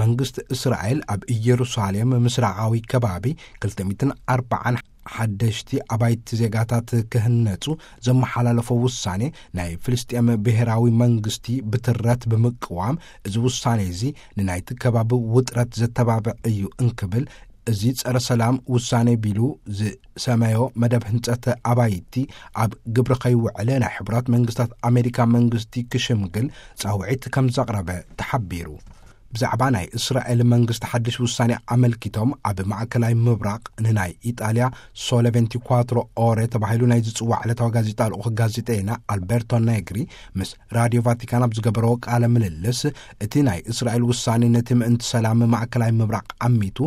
መንግስቲ እስራኤል ኣብ ኢየሩሳሌም ምስራቓዊ ከባቢ ክልተ ሚእትን ኣርባዓን ሓደሽቲ ኣባይቲ ዜጋታት ክህነጹ ዘመሓላለፎ ውሳኔ፣ ናይ ፍልስጤም ብሔራዊ መንግስቲ ብትረት ብምቅዋም፣ እዚ ውሳኔ እዚ ንናይቲ ከባቢ ውጥረት ዘተባብዕ እዩ እንክብል፣ እዚ ጸረ ሰላም ውሳኔ ቢሉ ዝሰመዮ መደብ ህንጸት ኣባይቲ ኣብ ግብሪ ከይውዕል ናይ ሕቡራት መንግስታት ኣሜሪካ መንግስቲ ክሽምግል ጻውዒት ከም ዘቕረበ ተሓቢሩ። ብዛዕባ ናይ እስራኤል መንግስቲ ሓድሽ ውሳኔ ኣመልኪቶም፣ ኣብ ማእከላይ ምብራቕ ንናይ ኢጣልያ ሶለ ቬንቲኳትሮ ኦረ ተባሂሉ ናይ ዝጽዋዕ ዕለታዊ ጋዜጣ ልኡኽ ጋዜጠይና ኣልበርቶ ኔግሪ ምስ ራድዮ ቫቲካን ኣብ ዝገበረዎ ቃለ ምልልስ፣ እቲ ናይ እስራኤል ውሳኔ ነቲ ምእንቲ ሰላም ማእከላይ ምብራቕ ዓሚቱ፣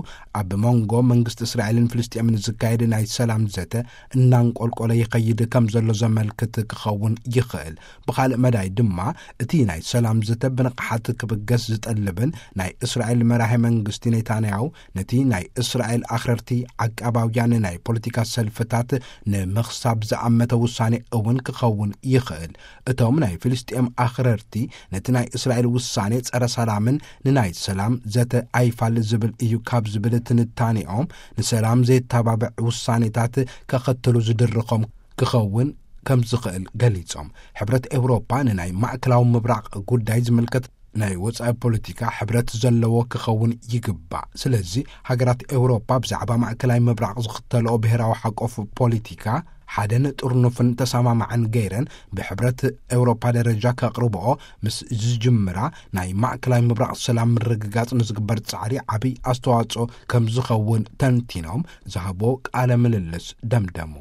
ኣብ መንጎ መንግስቲ እስራኤልን ፍልስጤምን ዝካየድ ናይ ሰላም ዘተ እናንቆልቆለ ይኸይድ ከም ዘሎ ዘመልክት ክኸውን ይኽእል። ብኻልእ መዳይ ድማ፣ እቲ ናይ ሰላም ዘተ ብንቕሓት ክብገስ ዝጠልብን ናይ እስራኤል መራሒ መንግስቲ ኔታንያሁ ነቲ ናይ እስራኤል ኣኽረርቲ ዓቃባውያን ናይ ፖለቲካ ሰልፍታት ንምኽሳብ ዝኣመተ ውሳኔ እውን ክኸውን ይኽእል። እቶም ናይ ፍልስጤም ኣኽረርቲ ነቲ ናይ እስራኤል ውሳኔ ጸረ ሰላምን ንናይ ሰላም ዘተ ኣይፋል ዝብል እዩ ካብ ዝብል ትንታኔኦም፣ ንሰላም ዘየተባብዕ ውሳኔታት ከኸትሉ ዝድርኾም ክኸውን ከም ዝኽእል ገሊጾም። ሕብረት ኤውሮፓ ንናይ ማእከላዊ ምብራቕ ጉዳይ ዝምልከት ናይ ወጻኢ ፖለቲካ ሕብረት ዘለዎ ክኸውን ይግባእ። ስለዚ ሃገራት ኤውሮፓ ብዛዕባ ማእከላይ ምብራቕ ዝኽተልኦ ብሔራዊ ሓቆፍ ፖለቲካ ሓደን ጥርኑፍን ተሰማማዕን ገይረን ብሕብረት ኤውሮፓ ደረጃ ከቕርብኦ ምስ ዝጅምራ፣ ናይ ማእከላይ ምብራቕ ሰላም ምርግጋጽ ንዝግበር ጻዕሪ ዓብይ ኣስተዋጽኦ ከም ዝኸውን ተንቲኖም ዝሃቦ ቃለ ምልልስ ደምደሙ።